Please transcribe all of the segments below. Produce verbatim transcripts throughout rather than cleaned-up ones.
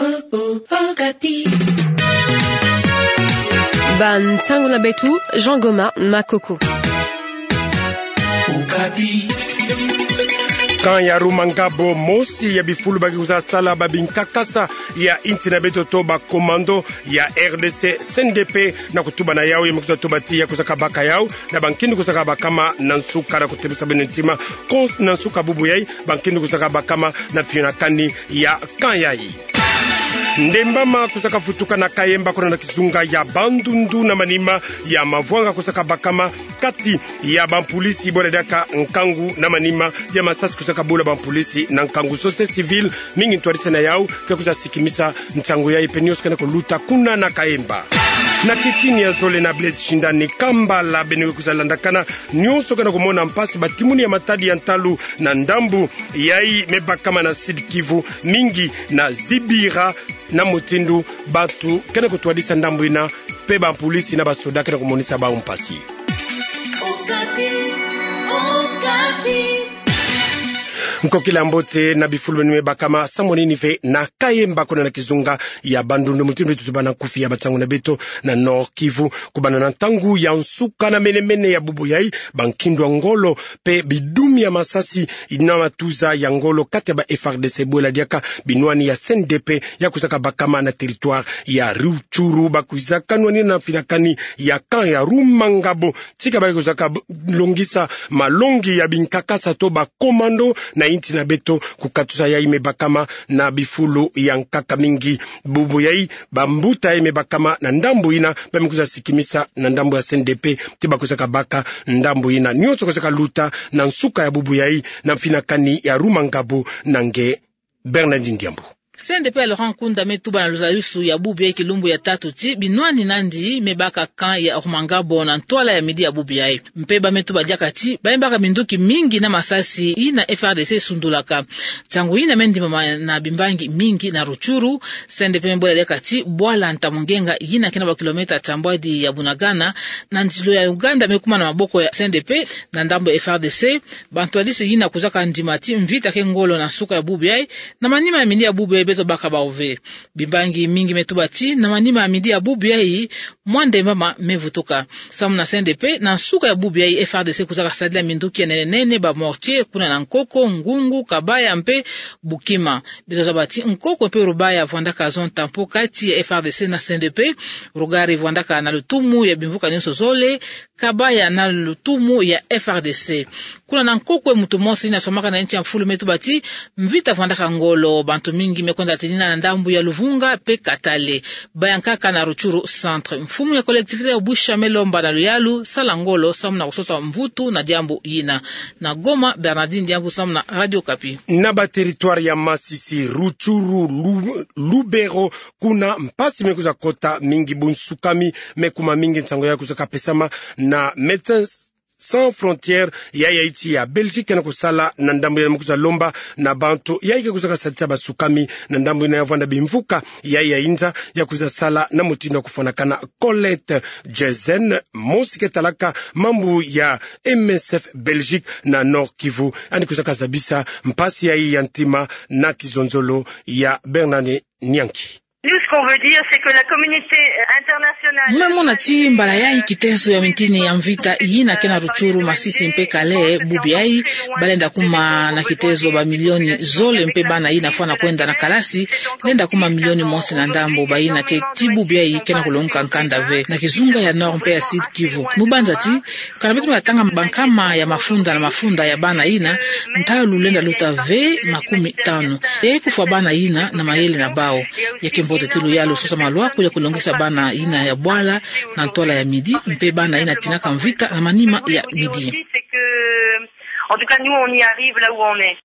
Okapi. Ba nsangu na beto, Jean Goma Makoko. Okapi. Camp ya Rumangabo, mosi ya bifulu ba ke kwiza sala ba binkakasa ya inti na beto to ba commando ya R D C C N D P, na kutuba na yau, ya me kwiza tuba ti ya kwizaka baka yau na ba nkindu kwizaka bakama na nsuka, na kutebusa beno ntima, kon-, na nsuka bubu yai, ba nkindu kwizaka bakama na mfinakani ya camp yai. Ndemba ma kwizaka vutuka na Kayemba, kuna na kizunga ya Bandundu, na manima ya mavwanga kwizaka bakama kati ya ba mpulisi bwela diaka nkangu, na manima ya masasi kwizaka bula ba mpulisi na nkangu. Société civile mingi ntwadisi na yau ke kwiza sikimisa nsangu yai mpe nionso kena kuluta kuna na Kayemba. Na kitini ya zole na Blaise Shindani Kambala, beno ke kwiza landakana nionso kena kumona mpasi ba timuni ya matadi ya ntalu na ndambu yai me bakama na Sud-Kivu, mingi na Kibira, na mutindu bantu kena kutwadisa ndambu yina, mpe ba mpulisi na ba soda kena kumonisa bau mpasi. Okapi, Okapi. Nkokila mbote na bifulu beno me bakama, samu nini ve na Kayemba, kuna na kizunga ya Bandundu, mutindu beto tubana nkufi ya ba nsangu na beto na Nord-Kivu, kubanda na ntangu ya nsuka na mene-mene ya bubu yai, ba nkindu ya ngolo mpe bidumi ya masasi na matuza ya ngolo kati ya ba F R D C bwela diaka binwani ya C N D P ya kwizaka bakama na territoire ya Rutshuru, ba kwizaka nwanina na mfinakani ya camp ya Rumangabo, tika ba kwizaka b-, longisa malongi ya binkakasa to ba commando na inti na beto, kukatusa yai me bakama na bifulu ya nkaka mingi. Bubu yai, bambuta yai me bakama na ndambu yina ba me kwiza sikimisa na ndambu ya C N D P ti ba kwizaka baka ndambu yina. Nionso kwizaka luta na nsuka ya bubu yai na mfinakani ya Rumangabo na nge Bernardine Diambu. C N D P ya Laurent Nkunda me tuba na luzadusu ya bubu yai kilumbu ya tatu ti binwani nandi me baka camp ya Rumangabo na ntwala ya midi ya bubu yai. Mpe ba me tuba diaka ti ba me baka minduki mingi na masasi yina F R D C sundulaka. Nsangu yina me ndimama na bimbangi mingi na Rutshuru. C N D P me bwela diaka ti bwala Ntamungenga, yina ke na ba kilomètre tambwadi ya Bunagana, na nzilo ya Uganda, me kuma na maboko ya C N D P na ndambu ya F R D C. Ba ntwadisi yina kwizaka ndima ti mvita ke ngolo na nsuka ya bubu yai, na manima ya midi ya bubu yai beto baka bau ve. Bimbangi mingi me tuba ti na manima ya midi ya bubu yai, mwa ndemba ma me vutuka. Samu na C N D P, na nsuka ya bubu yai F R D C kwizaka sadila minduki ya nene-nene, ba mortier, kuna na Nkokwe, Ngungu, Kabaya mpe Bukima. Beto zaba ti Nkokwe mpe Rubaya vwandaka zone tampon kati ya F R D C na C N D P. Rugari vwandaka na lutumu ya bimvuka nionso zole, Kabaya na lutumu ya F R D C. Kuna na Nkokwe, muntu mosi yina somaka na insi ya mfulu me tuba ti mvita vwandaka ngolo, bantu mingi me kwenda tinina na ndambu ya Luvunga mpe Katale. Ba ya nkaka na Rutshuru centre. Mfumu ya collectivité ya Bwisha me lomba na luyalu sala ngolo samu na kusosa mvutu na diambu yina. Na Goma, Bernardine Diambu samu na Radio Okapi. Na ba territoire ya Masisi, Rutshuru, Lu-, Lubero, kuna mpasi me kwiza kota mingi, bunsukami me kuma mingi, nsangu ya kwizaka pesama na Médecins Sans Frontières, ya, ya insi ya Belgique, na kusala na ndambu yina, me kwiza lomba na bantu yai ke kwizaka sadisa basukami na ndambu yina ya vwanda bimvuka yai ya inza, ya kwiza sala na mutindu ya kufwanakana. Colette Jezen, mosi ke talaka mambu ya M S F Belgique na Nord-Kivu, yandi kwizaka zabisa mpasi yai ya ntima na kizonzolo ya Bernard Nyanki. Nous, ce qu'on veut dire, c'est que la communauté internationale... Nge mona ti mbala yai kitezo ya mintini ya mvita yina ke na Rutshuru, Masisi mpe Kale, bubu yai, ba lenda kuma na kitezo ba milioni zole, mpe bana yina fwana kwenda na kalasi lenda kuma milioni mosi na ndambu. Bayina ke ti bubu yai ke na kulongoka nkanda ve na kizunga ya Nord mpe ya Sud-Kivu. Mu banza ti, kana beto me tanga bankama ya mafunda na mafunda ya bana yina, ntalu lenda luta ve makumi tanu. Yai kufwa bana yina na mayele na bau. Ya ke mbote ti luyalu sosa malwaku ya kulongisa bana yina ya bwala na ntwala ya midi, mpe bana yina tinaka mvita na manima ya midi. En tout cas, nous, on y arrive là où on est.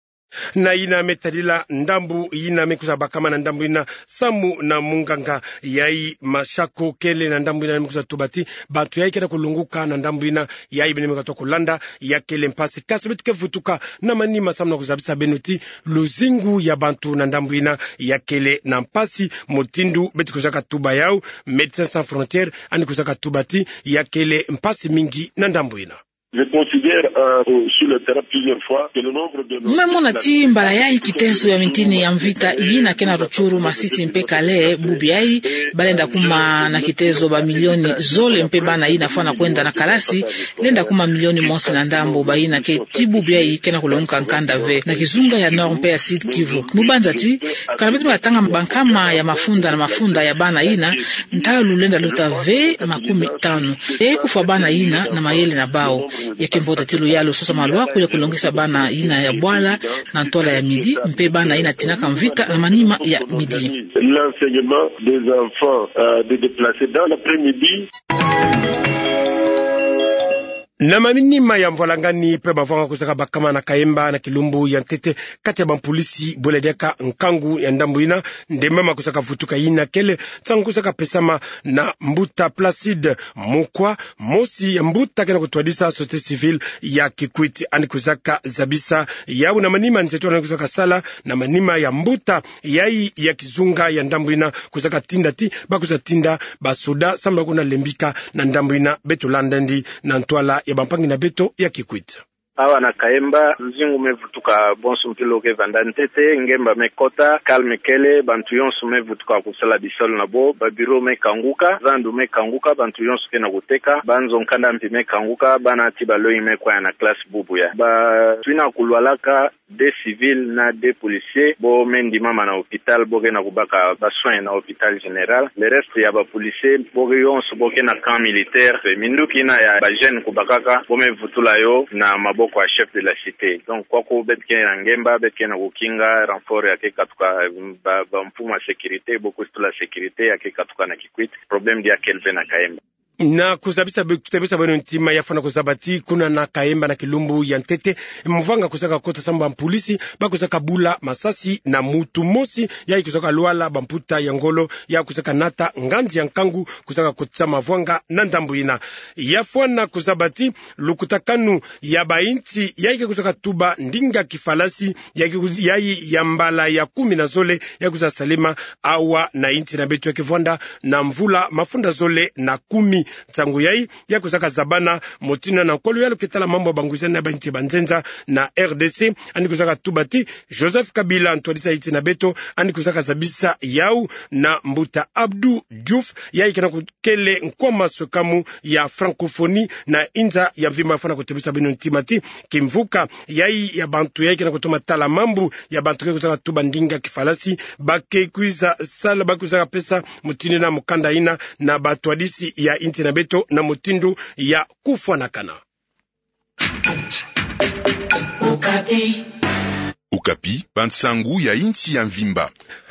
Na yina me tadila ndambu yina me kwiza bakama na ndambu yina, samu na munganga yai Mashako kele na ndambu yina, me kwiza tuba ti bantu yai ke na kulongoka na ndambu yina, yai beno me katuka kulanda, ya kele mpasi. Kasi beto ke vutuka na manima samu na kuzabisa beno ti luzingu ya bantu na ndambu yina ya kele na mpasi, mutindu beto kwizaka tuba yau. Médecins Sans Frontières yandi kwizaka tuba ti ya kele mpasi mingi na ndambu yina. Je considère, euh, sur le terrain plusieurs fois que le nombre de nos... Ngiuma mona ti mbala yayi kitezo ya mintini ya mvita yina ke na Rutshuru, Masisi mpe Kalehe, bubu yayi, balenda kuma na kitezo ba milioni zole mpe bana yina fwana kwenda na kalasi, lenda kuma milioni mosi na ndambu, bayina ke ti bubu yayi ke na kulongoka kanda ve na kizunga ya Nord mpe ya Sud Kivu. Mu banza ti, kana beto me tanga bankama ya mafunda na mafunda ya bana yina, ntalu lenda luta ve makumi tanu. E kufwa bana yina na mayele na bau. Ya ke mbote ti luyalu sosa maluaku ya kulongisa bana yina ya bwala na ntwala ya midi, mpe bana yina tinaka mvita na manima ya midi. L'enseignement des enfants, euh, des déplacés dans l'après-midi. Na manima ya mvwalangani mpe bavwanga kusaka bakama na Kayemba na kilumbu ya ntete, kati ya bampulisi bwela diaka nkangu ya ndambu yina, ndemama kusaka vutuka yina kele nsangu kusaka pesama na mbuta Placide Mukwa, mosi ya mbuta ke na kutwadisa société civile ya Kikwit. Yandi kusaka zabisa yau na manima nzeto yandi kusaka sala na manima ya mbuta yayi ya kizunga ya ndambu yina, kusaka tinda ti bakusa tinda basoda samu na kuna lembika na ndambu yina. Beto landa yandi na ntwala ya bampangi na beto ya Kikwit. Awa na Kayemba, luzingu me vutuka bonso mpila oke vanda ntete, ngemba me kota, calme kele, bantu yonso me vutuka kusala bisalu na bo, ba bureau me kanguka, zandu me kanguka, bantu yonso ke na kuteka, banzo nkanda mpi me kanguka, bana ti balongi me kwaya na classe bubu yayi. Bantu yina kulwalaka, deux civils na deux policiers, bo me ndimama na hôpital, bo ke na kubaka ba soins na hôpital général. Le reste ya ba policiers, bo ke yonso, bo ke na camp militaire. Minduki yina ya ba jeunes kubakaka, bo me vutula yo na maboko ya chef de la cité. Donc, kwaku beto ke na ngemba, beto ke na kukinga, renfort ya ke katuka, ba, ba mfumu ya sécurité, bo kusitula sécurité, ya ke katuka na Kikwit. Problème diaka kele ve na Kayemba. Na kuzabisa be-, kutebisa beno ntima ya fwana kuzaba ti kuna na Kayemba na kilumbu ya ntete, mvwanga kusaka kota samu bampulisi bakusaka bula masasi na muntu mosi, yayi kusaka lwala bamputa ya ngolo, ya kusaka nata nganzi ya nkangu kusaka kotisa mavwanga na ndambu yina. Ya fwana kuzaba ti lukutakanu ya bayinsi yayi ke kusaka tuba ndinga kifalasi, yayi ke kuz-, yayi ya mbala ya kumi na zole, yayi kusa salema awa na yinsi na beto ya ke vwanda na mvula mafunda zole na kumi. Nsangu yayi, ya kusaka zabana mutindu na nkolo ya lo ke tala mambu ya banguzani na bayinsi banzenza na R D C, yandi kusaka tuba ti Joseph Kabila, ntwadisi ya yinsi na beto, yandi kusaka zabisa yau na mbuta Abdou Diouf, yayi ke na ku-, kele nkwa maswekamu ya francophonie na inza ya mvimba. Fwana kutebisa beno ntima ti kimvuka yayi ya bantu yayi ke na kutoma tala mambu ya bantu ke kusaka tuba ndinga kifalasi, ba ke kwiza sala, ba kusaka pesa mutindu na mukanda yina na bantwadisi ya yinsi na beto na mutindu ya kufwanakana. Okapi, bansangu ya yinsi ya mvimba.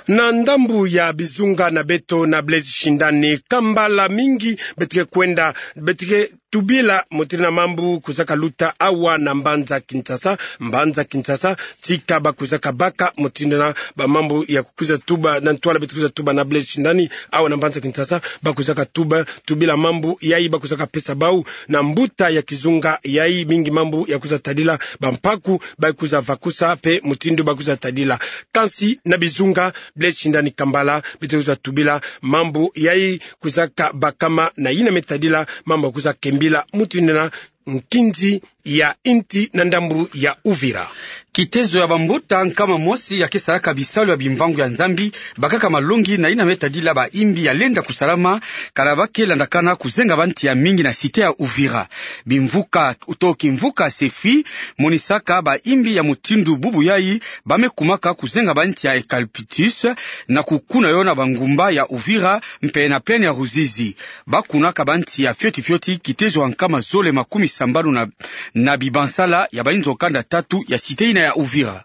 Na ndambu ya bizunga na beto na Blaise Shindani Kambala, mingi beto ke kwenda, beto ke tubila mutindu na mambu kusaka luta awa na mbanza Kinshasa. Mbanza Kinshasa, tika ba kusaka baka mutindu na ba mambu ya kukwiza tuba na ntwala beto kwiza tuba na Blaise Shindani, awa na mbanza Kinshasa, ba kusaka tuba, tubila mambu yayi ba kusaka pesa bau na mbuta ya kizunga yayi, mingi mambu ya kwiza tadila bampaku ba kwiza vakusa mpe mutindu ba kwiza tadila. Kansi na bizunga, Blaise Shindani Kambala, beto kwiza tubila mambu yayi kusaka bakama na yina me tadila mambu ya kwiza kembila mutindu na nkinzi ya yinsi na ndambu ya Uvira. Kitezo ya bambuta nkama mosi ya ke salaka bisalu ya bimvangu ya Nzambi bakaka malongi na yina me tadila bayimbi ya lenda kusalama, kana ba ke landakana kuzenga bantu ya mingi na cité ya Uvira. Bimvuka, to kimvuka SEFI, monisaka bayimbi ya mutindu bubu yayi ba me kumaka kuzenga bantu ya eucalyptus na kukuna yo na bangumba ya Uvira mpe na plaine ya Ruzizi. Ba kunaka bantu ya fioti fioti kitezo ya nkama zole makumi sambanu na, na bibansala ya bayinzo kanda tatu ya cité yina ya Uvira.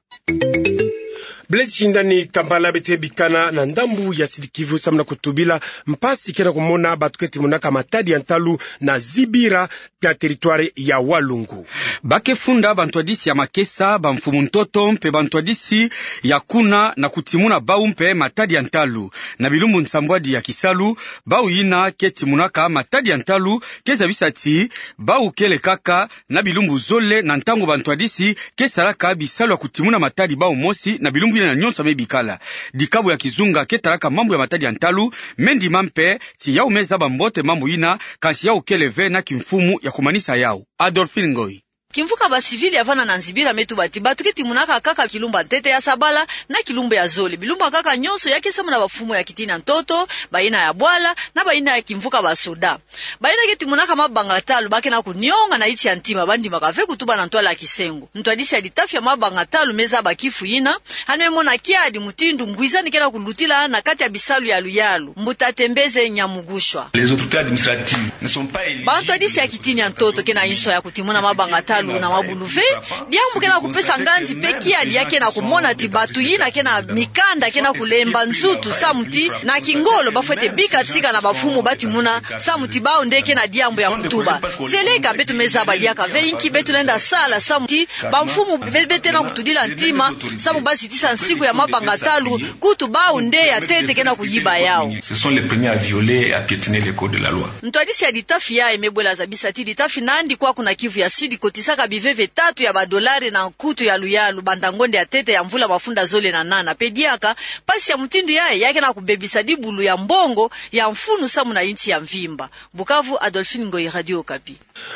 Blaise Shindani Kambala, beto ke bikana na ndambu ya Sud-Kivu samu na kutubila mpasi ke na kumona bantu ke timunaka matadi ya ntalu na Zibira, na territoire ya Walungu. Ba ke funda bantwadisi ya makesa, bamfumu ntoto mpe bantwadisi ya kuna na kutimuna bau mpe matadi ya ntalu. Na bilumbu nsambwadi ya kisalu, bau yina ke timunaka matadi ya ntalu ke zabisa ti bau kele kaka na bilumbu zole na ntangu bantwadisi ke salaka bisalu ya kutimuna matadi bau mosi na bilumbu tina nyonso ya me bikala. Dikabu ya kizunga ke talaka mambu ya matadi ya ntalu, me ndima mpe ti yau me zaba mbote mambu yina, kansi yau kele ve na kimfumu ya kumanisa yau. Adolphine Ngoyi. Kimvuka ba civil ya vanda na nzibila me tuba ti bato ke timonaka kaka kilumbu ya ntete, ya sabala na kilumbu ya zole. Bilumbu ya nkaka nyonso ya ke samu na bamfumu ya kitini ya ntoto, bayina ya bwala, na bayina ya kimvuka ba soda. Bayina ke timonaka mabanga talu ba ke na kunionga na insi ya ntima, ba ndimaka ve kutuba na ntwala ya kisengo. Ntwadisi ya litafi ya mabanga talu me zaba kifu yina, yandi me mona kiadi mutindu ngwizani ke na kulutila na kati ya bisalu ya luyalu, Mbuta Tembeze Nyamugushwa. Les autorités administratives ne sont pas éligibles. Bantwadisi ya kitini ya ntoto ke na inso ya kutimona mabanga talu na mabulu ve, diambu ke na kupesa nganzi mpe kiadi ya ke na kumona ti bato yina ke na mikanda ke na kulemba nzutu samu ti na kingolo ba fwete bika tika na bamfumu ba timona samu ti bawu nde ke na diambu ya kutuba. Tieleka beto me zaba diaka ve inki beto lenda sala samu ti bamfumu be, be tena kutudila ntima, samu ba zitisa nsiku ya mabanga talu, kutu bawu nde ya ntete ke na kuyiba yau. Ce sont les premiers à violer et à piétiner les codes de la loi. Ntwadisi ya litafi yayi me bwela zabisa ti litafi nandi kwaku na Kivu ya Sud kotisaka biveve tatu ya badolari na nkutu ya luyalu banda ngonda ya ntete ya mvula mafunda zole na nana. Mpe diaka mpasi ya mutindu yayi ya ke na kubebisa dibulu ya mbongo ya mfunu samu na insi ya mvimba. Bukavu, Adolphine Ngoyi, Radio Okapi.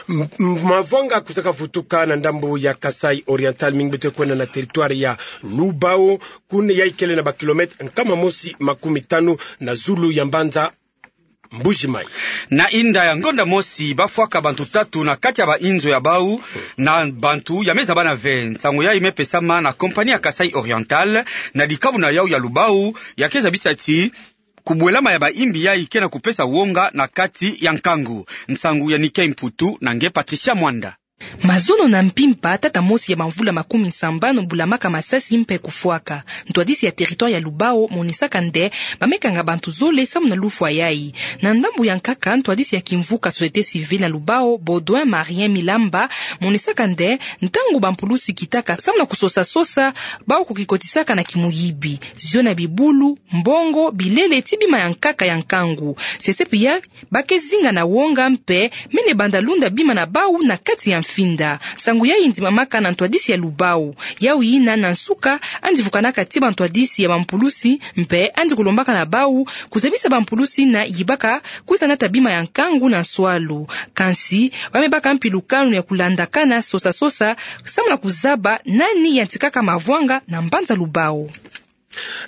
M-, m-, mavwanga kwizaka vutuka na ndambu ya Kasaï Oriental, mingi beto kwenda na territoire ya Lubao, kuna yayi kele na ba kilomètre nkama mosi makumi tanu na zulu ya mbanza Mbuji-Mayi. Na inda ya ngonda mosi, ba fwaka bantu tatu na kati ya bainzo ya bau na bantu ya me zabana ve. Nsangu yayi me pesama na compagnie ya Kasaï Oriental na dikabu na yau ya Lubao, ya ke zabisa ti kubwelama ya baimbi yayi ke na kupesa wonga na kati ya nkangu. Nsangu ya Nicky Mputu na nge Patricia Mwanda. Mazono na mpimpa, tata mosi ya bamvula makumi sambanu bulamaka masasi mpe kufwaka. Ntwadisi ya territoire ya Lubao monisaka nde ba me kanga bantu zole samu na lufwa yayi. Na ndambu ya nkaka, ntwadisi ya kimvuka société civile na Lubao, Baudouin Marien Milamba, monisaka nde ntangu bampulusi kitaka samu na kusosa-sosa, bau kukikotisaka na kimuyibi, zio na bibulu, mbongo, bilele ti bima ya nkaka ya nkangu. Sesepi ya ba ke zinga na wonga mpe mene banda lunda bima na bau na kati ya mfinda. Nsangu yayi ndimamaka na ntwadisi ya Lubao. Yau yina na nsuka, yandi vukanaka ti bantwadisi ya bampulusi mpe yandi kulombaka na bau kuzabisa bampulusi na yibaka kwiza nata bima ya nkangu na nswalu. Kansi ba me baka mpi lukanu ya kulandakana sosa-sosa samu na kuzaba nani yantikaka mavwanga na mbanza Lubao.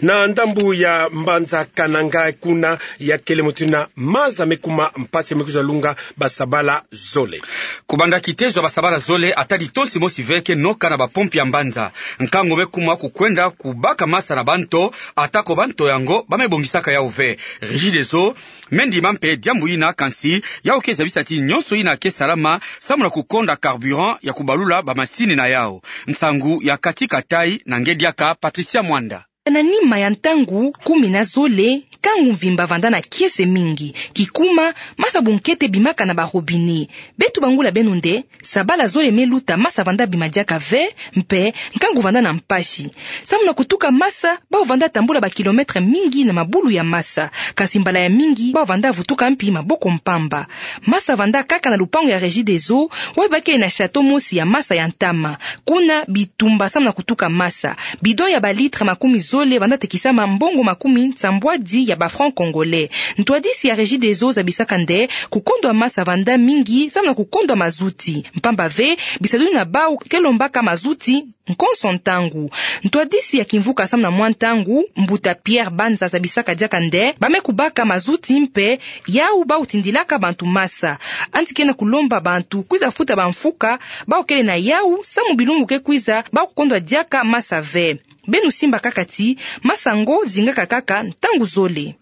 Na ndambu ya mbanza Kananga, kuna ya kele mutindu na maza me kuma mpasi, me kwiza lunga basabala zole. Kubanda kitezo ya basabala zole, ata litonsi mosi ve ke noka na bapompi ya mbanza. Nkangu me kuma kukwenda kubaka masa na banto, atako banto yango ba me bongisaka yau ve. Regideso me ndima mpe diambu yina, kansi yau ke zabisa ti nyonso yina ke salama samu na kukonda carburant ya kubalula bamasini na yau. Nsangu ya Kati Katai na nge diaka Patricia Mwanda. Na nima ya ntangu kumi na zole, nkangu mvimba vanda na kiese mingi. Kikuma, masa bunkete bimaka na ba robinet. Beto bangula beno nde, sabala zole me luta masa vanda bima diaka ve, mpe nkangu vanda na mpasi. Samu na kutuka masa, bau vanda tambula ba kilomètre mingi na mabulu ya masa. Kansi mbala ya mingi, bau vanda vutuka mpi maboko mpamba. Masa vanda kaka na lupangu ya Regideso, wapi ba kele na château mosi ya masa ya ntama. Kuna bitumba samu na kutuka masa. Bidon ya ba litre makumi zole vanda tekisama mbongo makumi nsambwadi ya ba francs congolais. Ntwadisi ya Regideso zabisaka nde kukondwa masa vanda mingi samu na kukondwa mazuti. Mpamba ve, bisadulu na bau ke lombaka mazuti nkonso ntangu. Ntwadisi ya kimvuka samu na mwa ntangu, mbuta Pierre Banza, zabisaka diaka nde ba me kubaka mazuti mpe yau bau tindilaka bantu masa. Yandi ke na kulomba bantu kwiza futa bamfuka bau kele na yau, samu bilumbu ke kwiza bau kukondwa diaka masa ve. Beno simba kaka ti masa ngo zingaka kaka ntangu zole.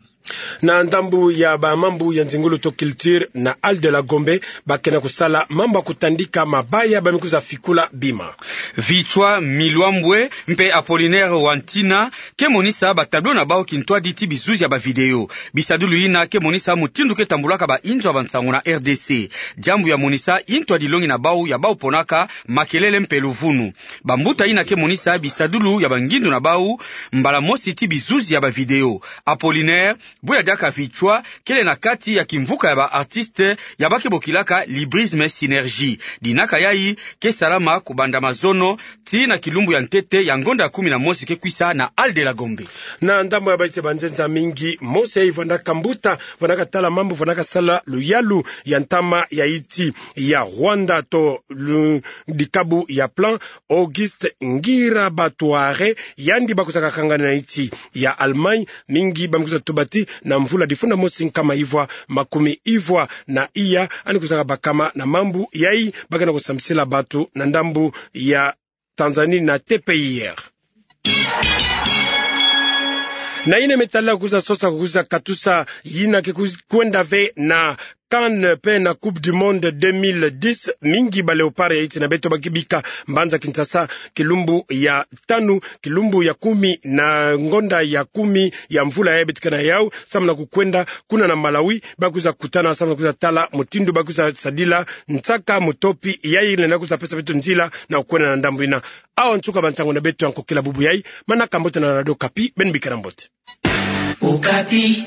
Na ndambu ya bamambu ya nzingulu to culture, na Hall de la Gombe, ba ke na kusala mambu ya kutandika mabaya ba me kwiza fikula bima. Vichwa Milwambwe mpe Apollinaire Wantina ke monisa ba tableau na bau kintwadi ti bizuzi ya ba vidéo. Bisadulu yina ke monisa mutindu ke tambulaka bainzo ya bansangu na R D C. Diambu ya monisa intwadi longi na bau ya bau ponaka makelele mpe luvunu. Bambuta yina ke monisa bisadulu ya bangindu na bau mbala mosi ti bizuzi ya ba vidéo. Apollinaire Bu ya diaka vichwa kele na kati ya kimvuka ya ba artistes ya ba ke bokilaka Librisme Synergie. Dinaka yayi ke salama kubanda mazono tii na kilumbu ya ntete ya ngonda ya kumi na mosi ke kwisa na Hall de la Gombe. Na ndambu ya Baiti, banzenza mingi, Mose yayi vwandaka mbuta, vwandaka tala mambu, vwandaka sala luyalu ya ntama ya insi ya Rwanda to lu-, dikabu ya Plan, Auguste Ngirabatware, yandi ba kwizaka kangana na insi ya Allemagne. Mingi ba me kwiza tuba ti na mvula difunda mosi nkama ivwa makumi ivwa na iya, yandi kwizaka bakama na mambu yayi ba ke na kusambisila bantu na ndambu ya Tanzanie na T P I R. Na yina me tala kwiza sosa, kwiza katusa yina ke kwiz-, kwenda ve na CAN pe na Coupe du Monde deux mille dix, mingi ba Léopards ya insi na beto ba ke bika mbanza Kinshasa kilumbu ya tanu, kilumbu ya kumi na ngonda ya kumi ya mvula yayi beto ke na yau, samu na kukwenda kuna na Malawi, ba kwiza kutana samu na kwiza tala mutindu ba kwiza sadila nsaka mutopi yayi, lenda kwiza pesa beto nzila na kukwenda na ndambu yina. Awa nsuka bansangu na beto ya nkokila bubu yayi. Manaka mbote na Radio Okapi, beno bikana mbote. Okapi.